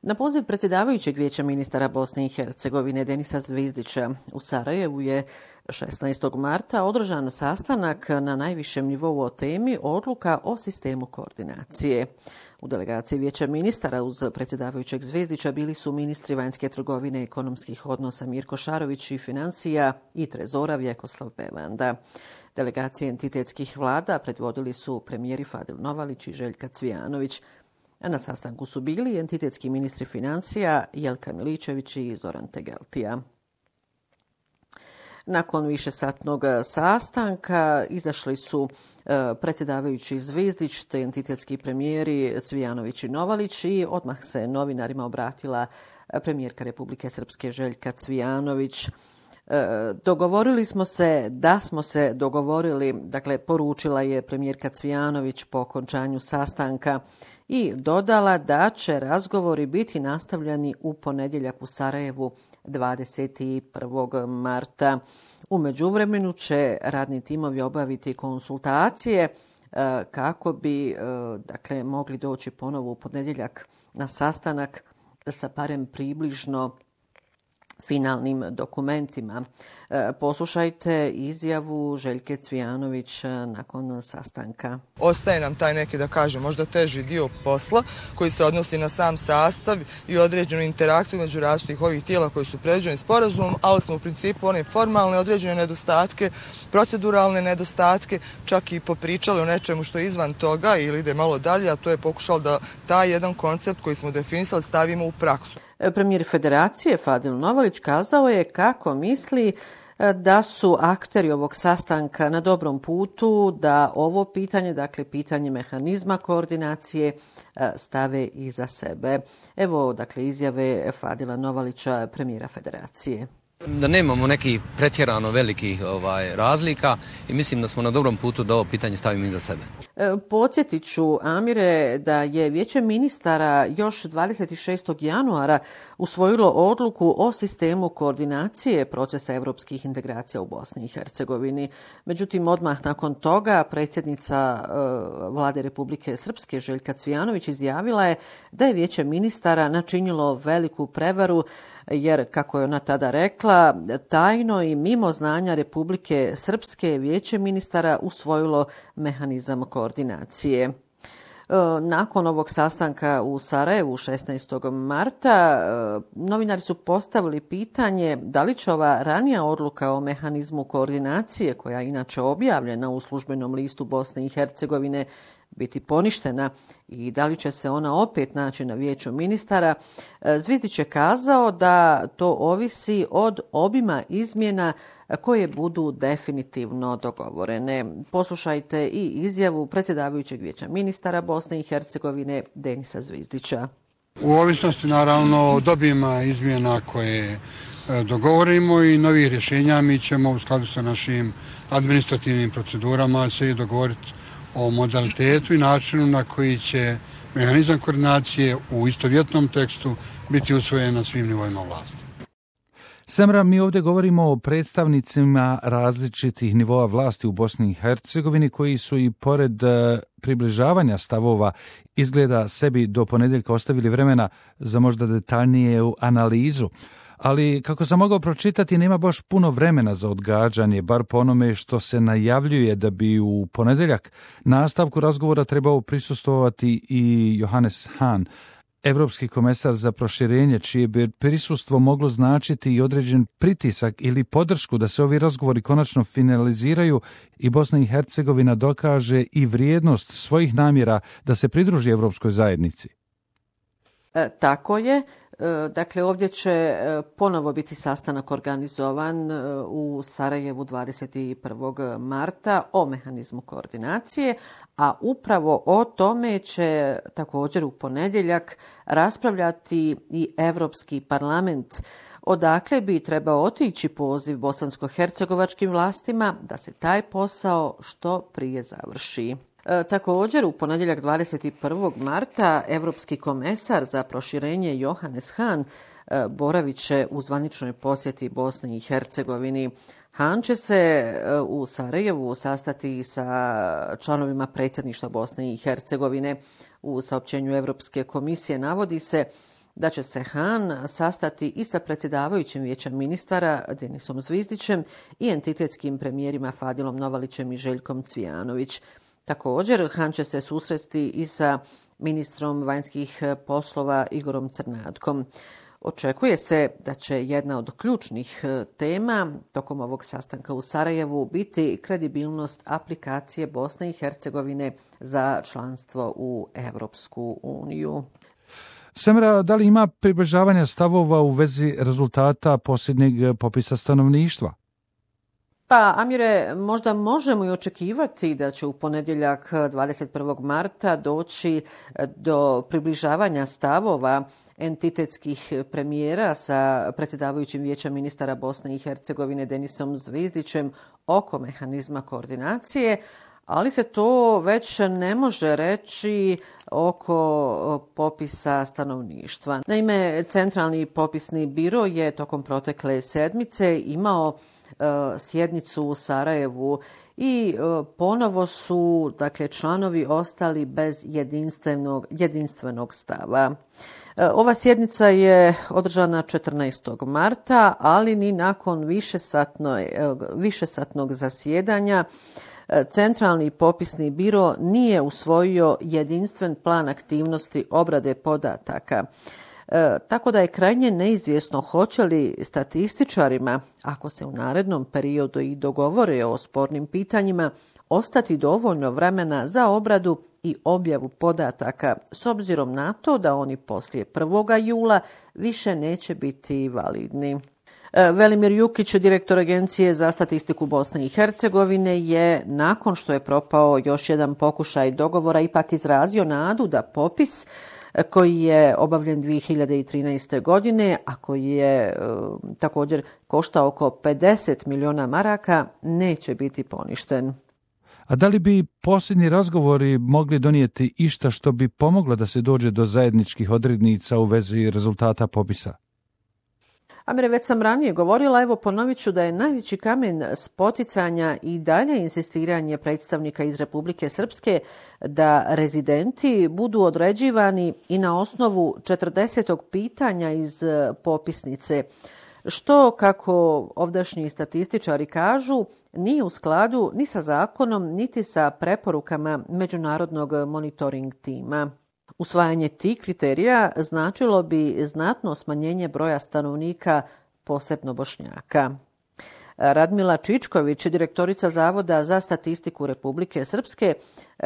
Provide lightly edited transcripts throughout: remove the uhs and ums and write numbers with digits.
Na poziv predsjedavajućeg Vijeća ministara Bosne i Hercegovine Denisa Zvizdića u Sarajevu je 16. marta održan sastanak na najvišem nivou o temi odluka o sistemu koordinacije. U delegaciji Vijeća ministara uz predsjedavajućeg Zvizdića bili su ministri vanjske trgovine i ekonomskih odnosa Mirko Šarović i financija i trezora Vjekoslav Bevanda. Delegacije entitetskih vlada predvodili su premijeri Fadil Novalić i Željka Cvijanović. Na sastanku su bili entitetski ministri financija Jelka Miličević i Zoran Tegeltija. Nakon višesatnog sastanka izašli su predsjedavajući Zvizdić te entitetski premijeri Cvijanović i Novalić i odmah se novinarima obratila premijerka Republike Srpske Željka Cvijanović. Dogovorili smo se da smo se dogovorili, dakle poručila je premijerka Cvijanović po okončanju sastanka i dodala da će razgovori biti nastavljeni u ponedjeljak u Sarajevu 21. marta. U međuvremenu će radni timovi obaviti konsultacije kako bi mogli doći ponovo u ponedjeljak na sastanak sa barem približno finalnim dokumentima. Poslušajte izjavu Željke Cvijanović nakon sastanka. Ostaje nam taj neki, da kažem, možda teži dio posla koji se odnosi na sam sastav i određenu interakciju među različitih ovih tijela koji su predviđeni sporazumom, ali smo u principu one formalne određene nedostatke, proceduralne nedostatke, čak i popričali o nečemu što je izvan toga ili ide malo dalje, a to je pokušalo da taj jedan koncept koji smo definisali stavimo u praksu. Premijer Federacije Fadil Novalić kazao je kako misli da su akteri ovog sastanka na dobrom putu da ovo pitanje, dakle pitanje mehanizma koordinacije, stave iza sebe. Evo, dakle, izjave Fadila Novalića, premijera Federacije. Da nemamo nekih pretjerano velikih razlika i mislim da smo na dobrom putu da ovo pitanje stavimo iza sebe. Podsjetit ću, Amire, da je Vijeće ministara još 26. januara usvojilo odluku o sistemu koordinacije procesa europskih integracija u Bosni i Hercegovini. Međutim, odmah nakon toga predsjednica Vlade Republike Srpske Željka Cvijanović izjavila je da je Vijeće ministara načinilo veliku prevaru jer, kako je ona tada rekla, tajno i mimo znanja Republike Srpske Vijeće ministara usvojilo mehanizam koordinacije. Nakon ovog sastanka u Sarajevu 16. marta novinari su postavili pitanje da li će ova ranija odluka o mehanizmu koordinacije, koja je inače objavljena u službenom listu Bosne i Hercegovine, biti poništena i da li će se ona opet naći na Vijeću ministara. Zvizdić je kazao da to ovisi od obima izmjena koje budu definitivno dogovorene. Poslušajte i izjavu predsjedavajućeg Vijeća ministara Bosne i Hercegovine Denisa Zvizdića. U ovisnosti naravno od obima izmjena koje dogovorimo i novih rješenja, mi ćemo u skladu sa našim administrativnim procedurama se i dogovoriti o modalitetu i načinu na koji će mehanizam koordinacije u istovjetnom tekstu biti usvojen na svim nivoima vlasti. Samra, mi ovdje govorimo o predstavnicima različitih nivoa vlasti u Bosni i Hercegovini koji su i pored približavanja stavova izgleda sebi do ponedjeljka ostavili vremena za možda detaljniju analizu. Ali, kako sam mogao pročitati, nema baš puno vremena za odgađanje, bar po onome što se najavljuje da bi u ponedjeljak nastavku razgovora trebao prisustvovati i Johannes Hahn, Evropski komesar za proširenje, čije bi prisustvo moglo značiti i određen pritisak ili podršku da se ovi razgovori konačno finaliziraju i Bosna i Hercegovina dokaže i vrijednost svojih namjera da se pridruži Evropskoj zajednici. Tako je. Dakle, ovdje će ponovo biti sastanak organizovan u Sarajevu 21. marta o mehanizmu koordinacije, a upravo o tome će također u ponedjeljak raspravljati i Europski parlament, odakle bi trebao otići poziv bosansko-hercegovačkim vlastima da se taj posao što prije završi. Također, u ponedjeljak 21. marta Evropski komesar za proširenje Johannes Hahn boravit će u zvaničnoj posjeti Bosni i Hercegovini. Hahn će se u Sarajevu sastati sa članovima predsjedništva Bosne i Hercegovine. U saopćenju Europske komisije navodi se da će se Han sastati i sa predsjedavajućim vijeća ministara Denisom Zvizdićem i entitetskim premijerima Fadilom Novalićem i Željkom Cvijanović. Također, Han će se susresti i sa ministrom vanjskih poslova Igorom Crnatkom. Očekuje se da će jedna od ključnih tema tokom ovog sastanka u Sarajevu biti kredibilnost aplikacije Bosne i Hercegovine za članstvo u Europsku uniju. Semra, da li ima približavanja stavova u vezi rezultata posljednjeg popisa stanovništva? Pa, Amire, možda možemo i očekivati da će u ponedjeljak 21. marta doći do približavanja stavova entitetskih premijera sa predsjedavajućim vijećem ministara Bosne i Hercegovine Denisom Zvizdićem oko mehanizma koordinacije, ali se to već ne može reći oko popisa stanovništva. Naime, Centralni popisni biro je tokom protekle sedmice imao sjednicu u Sarajevu i ponovo su članovi ostali bez jedinstvenog stava. Ova sjednica je održana 14. marta, ali ni nakon višesatnog zasjedanja Centralni popisni biro nije usvojio jedinstven plan aktivnosti obrade podataka. Tako da je krajnje neizvjesno hoće li statističarima, ako se u narednom periodu i dogovore o spornim pitanjima, ostati dovoljno vremena za obradu i objavu podataka, s obzirom na to da oni poslije 1. jula više neće biti validni. Velimir Jukić, direktor Agencije za statistiku Bosne i Hercegovine, je nakon što je propao još jedan pokušaj dogovora ipak izrazio nadu da popis koji je obavljen 2013. godine, a koji je također koštao oko 50 milijuna maraka, neće biti poništen. A da li bi posljednji razgovori mogli donijeti išta što bi pomoglo da se dođe do zajedničkih odrednica u vezi rezultata popisa? Amire, već sam ranije govorila, evo ponovit ću da je najveći kamen spoticanja i dalje insistiranje predstavnika iz Republike Srpske da rezidenti budu određivani i na osnovu 40. pitanja iz popisnice, što, kako ovdašnji statističari kažu, nije u skladu ni sa zakonom, niti sa preporukama Međunarodnog monitoring tima. Usvajanje tih kriterija značilo bi znatno smanjenje broja stanovnika, posebno Bošnjaka. Radmila Čičković, direktorica Zavoda za statistiku Republike Srpske,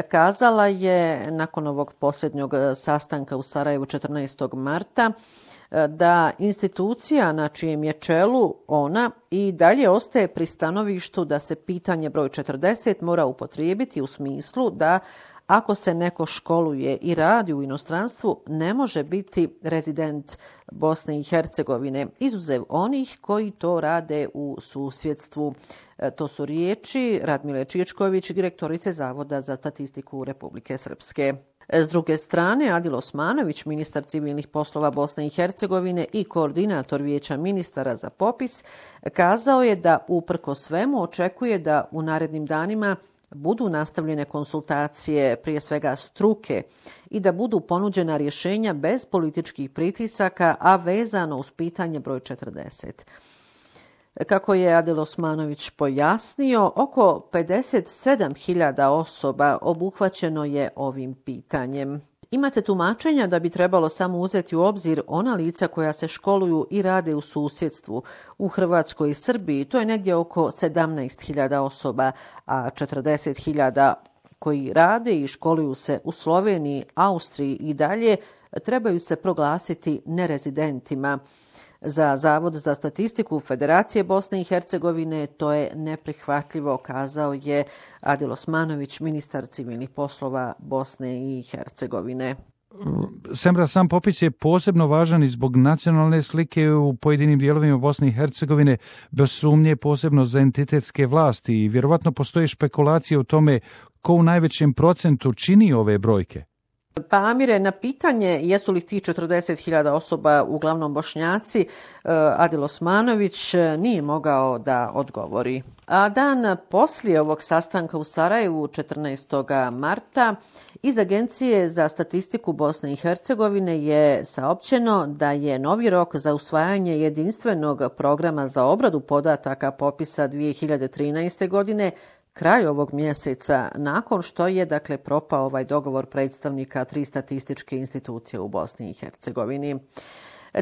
kazala je nakon ovog posljednjeg sastanka u Sarajevu 14. marta da institucija na čijem je čelu ona i dalje ostaje pri stanovištu da se pitanje broj 40 mora upotrijebiti u smislu da ako se neko školuje i radi u inostranstvu, ne može biti rezident Bosne i Hercegovine, izuzev onih koji to rade u susjedstvu. To su riječi Radmile Čičković, direktorice Zavoda za statistiku Republike Srpske. S druge strane, Adil Osmanović, ministar civilnih poslova Bosne i Hercegovine i koordinator vijeća ministara za popis, kazao je da uprkos svemu očekuje da u narednim danima budu nastavljene konsultacije, prije svega struke, i da budu ponuđena rješenja bez političkih pritisaka, a vezano uz pitanje broj 40. Kako je Adil Osmanović pojasnio, oko 57.000 osoba obuhvaćeno je ovim pitanjem. Imate tumačenja da bi trebalo samo uzeti u obzir ona lica koja se školuju i rade u susjedstvu. U Hrvatskoj i Srbiji to je negdje oko 17.000 osoba, a 40.000 koji rade i školuju se u Sloveniji, Austriji i dalje trebaju se proglasiti nerezidentima. Za Zavod za statistiku Federacije Bosne i Hercegovine to je neprihvatljivo, kazao je Adil Osmanović, ministar civilnih poslova Bosne i Hercegovine. Semra, sam popis je posebno važan i zbog nacionalne slike u pojedinim dijelovima Bosne i Hercegovine, bez sumnje posebno za entitetske vlasti, i vjerovatno postoje špekulacije o tome ko u najvećem procentu čini ove brojke. Pa Amire, na pitanje jesu li ti 40.000 osoba uglavnom Bošnjaci, Adil Osmanović nije mogao da odgovori. A dan poslije ovog sastanka u Sarajevu 14. marta Iz Agencije za statistiku Bosne i Hercegovine je saopćeno da je novi rok za usvajanje jedinstvenog programa za obradu podataka popisa 2013. godine kraj ovog mjeseca, nakon što je propao ovaj dogovor predstavnika 3 statističke institucije u Bosni i Hercegovini.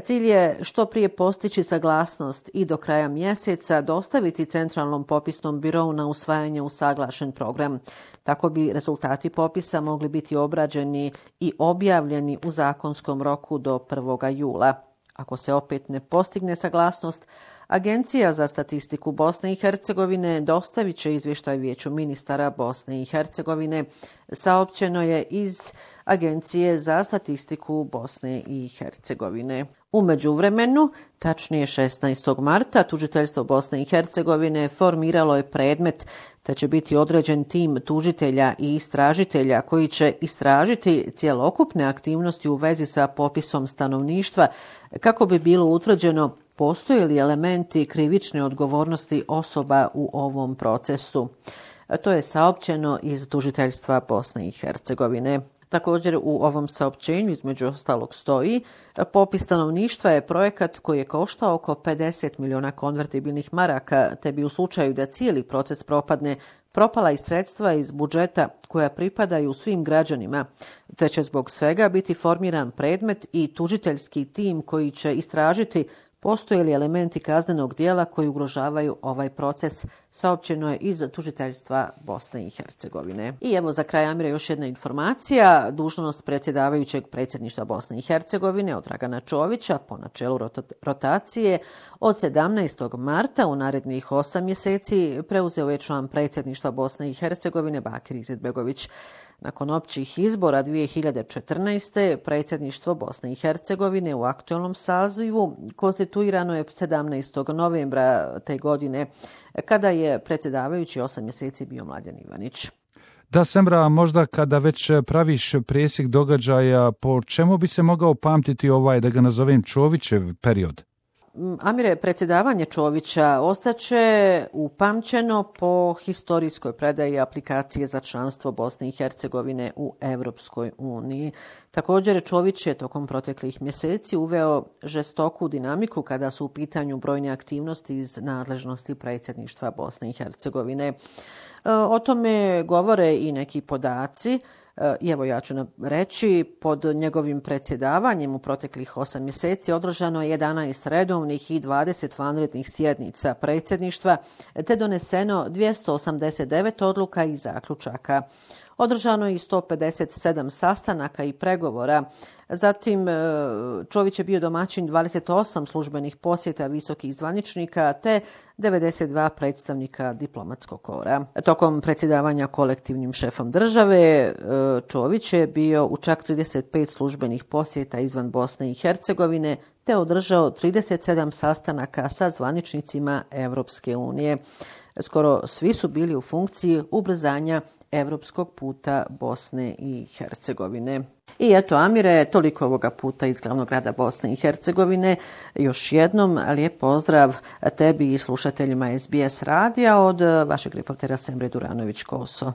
Cilj je što prije postići saglasnost i do kraja mjeseca dostaviti Centralnom popisnom birou na usvajanje usaglašen program. Tako bi rezultati popisa mogli biti obrađeni i objavljeni u zakonskom roku do 1. jula. Ako se opet ne postigne saglasnost, Agencija za statistiku Bosne i Hercegovine dostavit će izvještaj Vijeću ministara Bosne i Hercegovine, saopćeno je iz Agencije za statistiku Bosne i Hercegovine. U međuvremenu, tačnije 16. marta, tužiteljstvo Bosne i Hercegovine formiralo je predmet te će biti određen tim tužitelja i istražitelja koji će istražiti cjelokupne aktivnosti u vezi sa popisom stanovništva kako bi bilo utvrđeno postoje li elementi krivične odgovornosti osoba u ovom procesu. To je saopćeno iz tužiteljstva Bosne i Hercegovine. Također u ovom saopćenju između ostalog stoji: popis stanovništva je projekat koji je koštao oko 50 miliona konvertibilnih maraka, te bi u slučaju da cijeli proces propadne propala i sredstva iz budžeta koja pripadaju svim građanima, te će zbog svega biti formiran predmet i tužiteljski tim koji će istražiti postoje li elementi kaznenog djela koji ugrožavaju ovaj proces, saopćeno je iz tužiteljstva Bosne i Hercegovine. I evo za kraj, Amire, još jedna informacija. Dužnost predsjedavajućeg predsjedništva Bosne i Hercegovine od Dragana Čovića po načelu rotacije od 17. marta u narednih 8 mjeseci preuzeo je član predsjedništva Bosne i Hercegovine Bakir Izetbegović. Nakon općih izbora 2014. predsjedništvo Bosne i Hercegovine u aktualnom sazivu konstituirano je 17. novembra te godine, kada je predsjedavajući 8 mjeseci bio Mladen Ivanić. Da, Semra, možda kada već praviš presjek događaja, po čemu bi se mogao pamtiti ovaj, da ga nazovem, Čovićev period? Amire, predsjedavanje Čovića ostaće upamćeno po historijskoj predaji aplikacije za članstvo Bosne i Hercegovine u Europskoj uniji. Također, Čović je tokom proteklih mjeseci uveo žestoku dinamiku kada su u pitanju brojne aktivnosti iz nadležnosti predsjedništva Bosne i Hercegovine. O tome govore i neki podaci. I evo ja ću reći, pod njegovim predsjedavanjem u proteklih 8 mjeseci održano je 11 redovnih i 20 vanrednih sjednica predsjedništva, te doneseno 289 odluka i zaključaka. Održano je i 157 sastanaka i pregovora. Zatim, Čović je bio domaćin 28 službenih posjeta visokih zvaničnika te 92 predstavnika diplomatskog kora. Tokom predsjedavanja kolektivnim šefom države, Čović je bio u čak 35 službenih posjeta izvan Bosne i Hercegovine te održao 37 sastanaka sa zvaničnicima Europske unije. Skoro svi su bili u funkciji ubrzanja evropskog puta Bosne i Hercegovine. I eto, Amire, toliko ovoga puta iz glavnog grada Bosne i Hercegovine. Još jednom lijep pozdrav tebi i slušateljima SBS radija od vašeg reportera Semre Duranović-Koso.